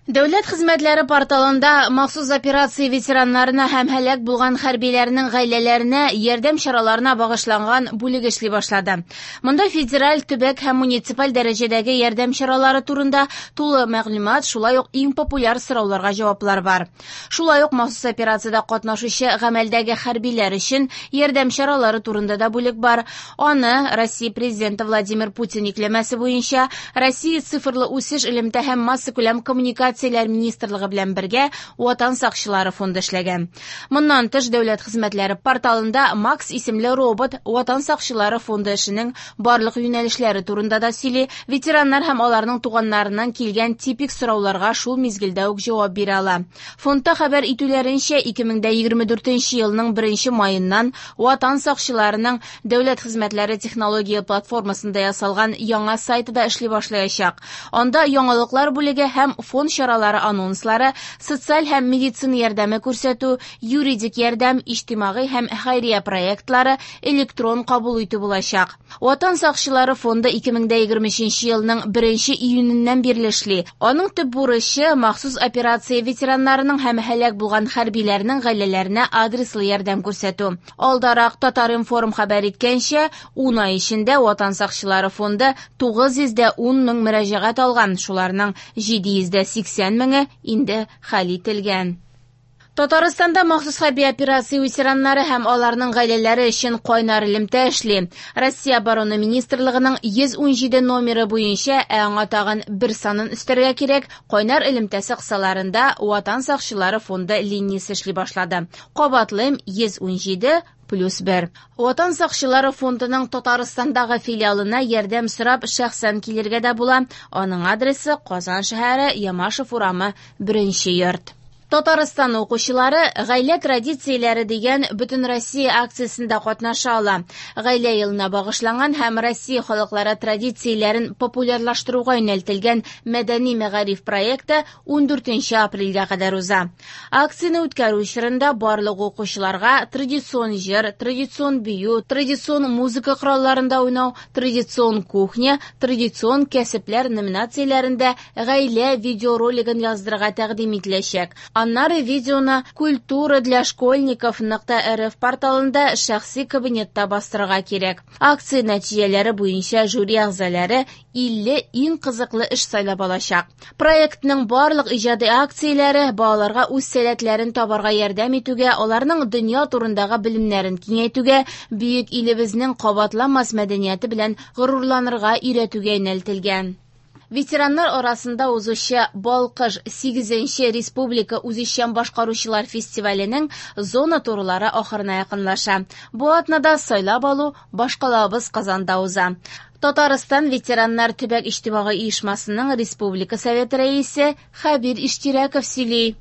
Дәүләт хезмәтләре порталында махсус операция ветераннарына һәм һәлак булган хәрбиләрнең гаиләләренә ярдәм чараларына багышланган бүлек эшли башлады. Монда федераль, төбәк һәм муниципаль дәрәҗәдәге ярдәм чаралары турында тулы мәгълүмат, шулай ук иң популяр сорауларга җаваплар бар. Шулай ук махсус операциядә катнашучы гамәлдәге хәрбиләр өчен ярдәм чаралары турында да бүлек бар. Аны Россия Президенты Владимир Путин йөкләмәсе буенча Россия цифрлы үсеш, элемтә һәм массакүләм коммуникацияләр министрлыгы белән бергә Ватан сакчылары фонды эшләгән. Моннан тыш, дәүләт хезмәтләре порталында Макс исемле робот Ватан сакчылары фонды эшенең барлык юнәлешләре турында да сөйли, ветераннар һәм аларның туганнарыннан килгән типик сорауларга шул мизгелдә үк җавап бирә ала. Фондта хәбәр итүләренчә, 2024 елның 1 маеннан Ватан сакчыларының дәүләт хезмәтләре технология платформасында ясалган яңа сайты да эшли башлаячак. Анда яңалыклар бүлеге һәм фонд чаралары анонслары, социаль һәм медицина ярдәме күрсәтү, юридик ярдәм, иҗтимагый һәм хәйрия проектлары, электрон кабул итү булачак. Ватан сакчылары фонды 2023 елның 1 июненнән бирле эшли. Аның төп бурычы махсус операция ветераннарының һәм һәлак булган хәрбиләрнең гаиләләренә адреслы ярдәм күрсәтү. Алдарак Татар-информ хәбәр иткәнчә, 10 ай эчендә Ватан сакчылары фонды 910 мең мөрәҗәгать алган, шуларның 780 меңе инде хәл ителгән. Татарстанда махсус хәрби операция ветераннары һәм аларның гаиләләре өчен кайнар элемтә эшли. Россия Оборона министрлыгының 117 номеры буенча, ә аңа тагын бер санын өстәргә кирәк, кайнар элемтәсе кысаларында Ватан сакчылары фонды линиясе эшли башлады. Кабатлыйм, 117 плюс 1. Ватан сакчылары фондының Татарстандагы филиалына ярдәм сорап шәхсән килергә дә була. Аның адресы Казан шәһәре, Ямашев урамы, 1 йорт. Татарстан укучылары «Гаилә традицияләре» дигән Бөтенроссия акциясендә катнаша ала. Гаилә елына багышланган һәм Россия халыклары традицияләрен популярлаштыруга юнәлтелгән мәдәни мәгариф проекты 14 апрельгә кадәр уза. Акцияне үткәрү чорында барлык укучыларга традицион җыр, традицион бию, традицион музыка коралларында уйнау, традицион кухня, традицион кәсепләр номинацияләрендә гаилә видеоролигын яздырырга тәкъдим ителәчәк. Аннары видеоны культура для школьников .рф порталында шәхси кабинетта бастырырга кирәк. Акция нәтиҗәләре буенча жюри әгъзалары 50 иң кызыклы эш сайлап алачак. Проектның барлык иҗади акцияләре балаларга үз сәләтләрен табарга ярдәм итүгә, аларның дөнья турындагы белемнәрен киңәйтүгә, бөек илебезнең кабатланмас мәдәнияте белән горурланырга өйрәтүгә юнәлтелгән. Ветераннар арасында узучы Балкыш 8-нче республика үзешчән башкаручылар фестиваленең зона турлары ахырына якынлаша. Бу атнада сайлап алу башкалабыз Казанда уза. Татарстан ветераннар төбәк иҗтимагый оешмасының республика советы рәисе Хәбир Иштирәков сөйли.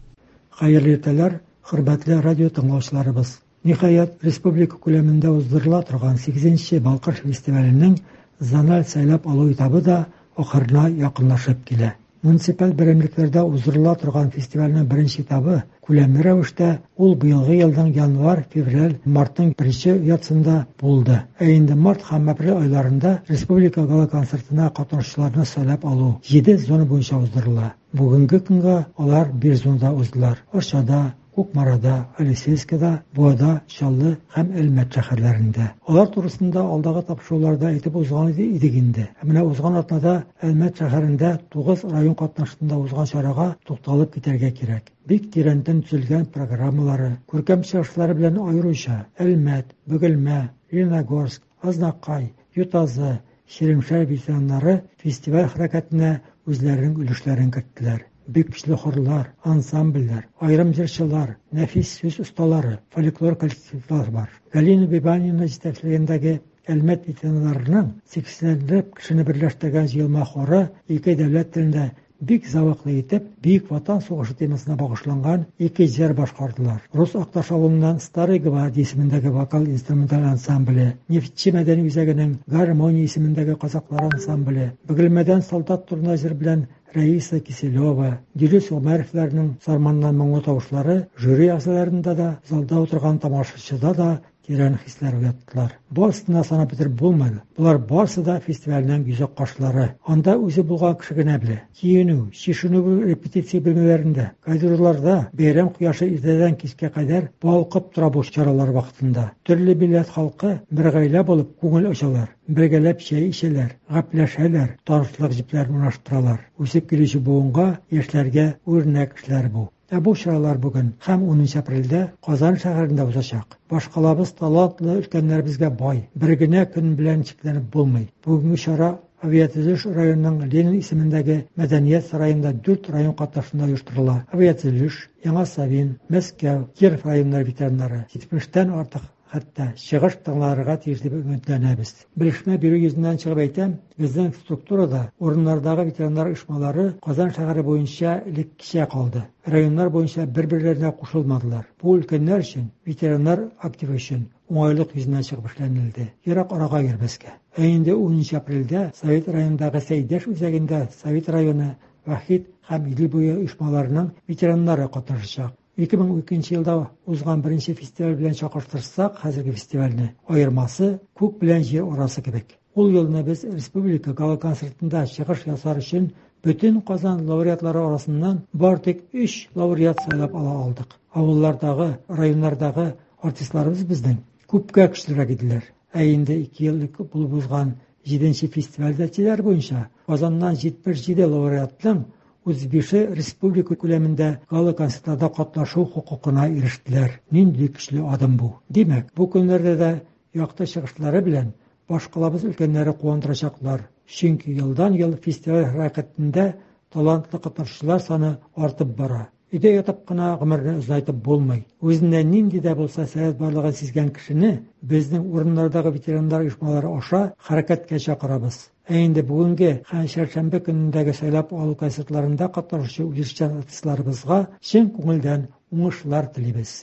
Хәерле иртәләр, хөрмәтле радио тыңлаучыларыбыз. Ниһаять, республика күләмендә уздырыла торган 8-нче Балкыш фестиваленең зональ сайлап алу этабы да ахырына якынлашып килә. Муниципаль берәмлекләрдә уздырыла торган фестивальнең беренче этабы күләмле рәвештә ул быелгы елның январь, февраль, мартның беренче яртысында булды. Ә инде март һәм апрель айларында республика гала-концертына катнашучыларны сайлап алу 7 зона буенча уздырыла. Бүгенге көнгә алар 1 зонада уздылар. Арчада, Кукмарада, Алексеевскида, Буада, Чаллы һәм Әлмәт шәһәрләрендә. Алар турысында алдагы тапшыруларда әйтеп узган идек инде. Ә менә узган атнада Әлмәт шәһәрендә 9 район катнашында узган чарага тукталып китәргә кирәк. Бик тирәнтен төзелгән программалары, күркәм чыгышлары белән аеруча Әлмәт, Бөгелмә, Лениногорск, Азнакай, Ютазы, Чирмешән ветераннары фестиваль хәрәкәтенә үзләренең өлешләрен керттеләр. Бик көчле хорлар, ансамбльләр, аерым җырчылар, нәфис сүз осталары, фольклор коллективлар бар. Галина Бибанина җитәкчелегендәге Әлмәт ветераннарының 80 кешене берләштергән җыелма хоры ике дәүләт телендә бик зәвыклы итеп Бөек Ватан сугышы темасына багышланган ике җыр башкардылар. Рус Акташ авылыннан Старый гвардия исемендәге вокал-инструменталь ансамбле, Нефтьче мәдәни үзәгенең Гармония исемендәге казаклар ансамбле, Бөгелмәдән солдат турында җыр белән Раиса Киселева, Дилүс Гомәровларның сарманнан моңлы тавышлары жюри әгъзаларында да, залда утырган тамашачыда да тирән хисләр уяттылар. Барысын да санап бетереп булмый. Болар барысы да фестивальнең йөзек кашлары. Анда үзе булган кеше генә белә. Киенү, чишенү репетиция бүлмәләрендә, коридорларда бәйрәм кояшы иртәдән кичкә кадәр балкып тора бу чаралар вакытында. Төрле милләт халкы бер гаилә булып күңел ачалар, бергәләп чәй эчәләр, гәпләшәләр, танышлык җепләрен урнаштыралар. Үсеп килүче буынга, яшьләргә үрнәк эшләр бу. Ә бу чаралар бүген һәм 10 апрельдә Казан шәһәрендә узачак. Башкалабыз талантлы өлкәннәребезгә бай. Бер генә көн белән чикләнеп булмый. Бүгенге чара Авиатөзелеш районының Ленин исемендәге мәдәният сараенда 4 район катнашында оештырыла. Авиатөзелеш, Яңа Савин, Мәскәү, Киров районнары ветераннары 70тән артык хәтта чыгыш тыңларга тиеш дип өметләнәбез. Белешмә бирү йөзеннән чыгып әйтәм, безнең структурада урыннардагы ветераннар оешмалары Казан шәһәре буенча элеккечә калды. Районнар буенча бер-берләренә кушылмадылар. Бу өлкәннәр өчен, ветераннар активы өчен уңайлык йөзеннән чыгып эшләнелде. Ерак арага йөрмәскә. Ә инде 10 апрельдә Совет районындагы Сәйдәш үзәгендә Совет районы, Вахит һәм Идел буе оешмаларының ветераннары катнашачак. 2012 елда узган беренче фестиваль белән чагыштырсак, хәзерге фестивальне аермасы күк белән җир арасы кебек. Ул елны без республика гала-концертында чыгыш ясар өчен бөтен Казан лауреатлары арасыннан бар тик 3 лауреат сайлап ала алдык. Авыллардагы, районнардагы артистларыбыз безнең күпкә көчлерәк иделәр. Ә инде 2 ел элек булып узган 7 фестиваль нәтиҗәләре буенча Казаннан 77 лауреатның 35-е республика күләмендә гала-концертларда катнашу хокукына ирештеләр. Нинди көчле адым бу. Димәк, бу көннәрдә дә якты чыгышлары белән башкалабыз өлкәннәре куандырачаклар. Чөнки елдан-ел фестиваль хәрәкәтендә талантлы катнашучылар саны артып бара. Өйдә ятып кына гомерне озайтып булмый. Үзендә нинди дә булса сәләт барлыгын сизгән кешене безнең урыннардагы ветераннар оешмалары аша хәрәкәткә чакырабыз. Ә инде бүгенге һәм чәршәмбе көнендәге сайлап алу концертларында катнашучы үзешчән артистларыбызга чын күңелдән уңышлар телибез.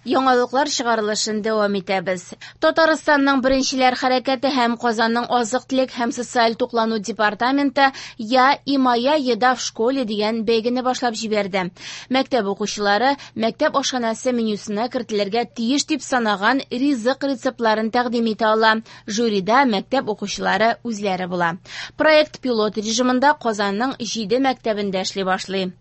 Яңалыклар чыгарылышын дәвам итәбез. Татарстанның беренчеләр хәрәкәте һәм Казанның азык-төлек һәм социаль туклану департаменты «Я и моя еда в школе» дигән бәйгене башлап җибәрде. Мәктәп укучылары мәктәп ашханәсе менюсына кертелергә тиеш дип санаган ризык рецептларын тәкъдим итә ала. Жюрида мәктәп укучылары үзләре була. Проект пилот режимында Казанның 7 мәктәбендә эшли башлый.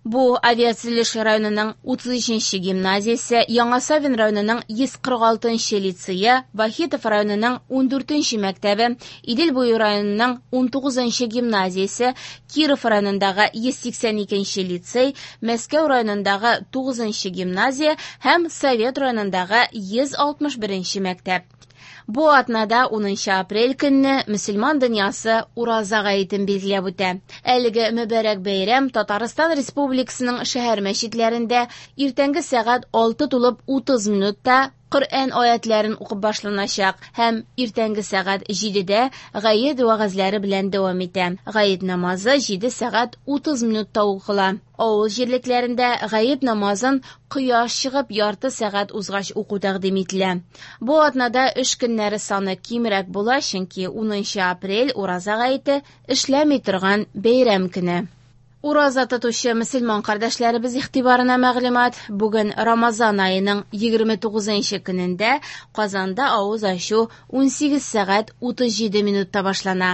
Бу Авиатөзелеш районының 33-нче гимназиясе, Яңа Савин районының 146-нчы лицее, Вахитов районының 14-нче мәктәбе, Идел буе районының 19-нчы гимназиясе, Киров районындагы 182-нче лицей, Мәскәү районындагы 9-нчы гимназия һәм Совет районындагы 161-нче мәктәп. Бу атнада 10 апрель көнне мөселман дөньясы Ураза гаетен билгеләп үтә. Әлеге мөбарәк бәйрәм Татарстан Республикасының шәһәр мәчетләрендә иртәнге сәгать 6:30 минутта Коръән аятларын укып башланачак һәм иртәнге сәгать 7-дә гает вәгазьләре белән дәвам итә. Гает намазы 7 сәгать 30 минутта укыла. Авыл җирлекләрендә гает намазын кояш чыгып ярты сәгать узгач уку тәкъдим ителә. Бу атнада эш көннәре саны кимрәк була, чөнки 10 апрель Ураза гаете эшләми торган бәйрәм көне. Ураза тотучы мөселман кардәшләребез игътибарына мәгълүмат. Бүген Рамазан аеның 29 көнендә Казанда авыз ачу 18 сәгать 37 минутта башлана.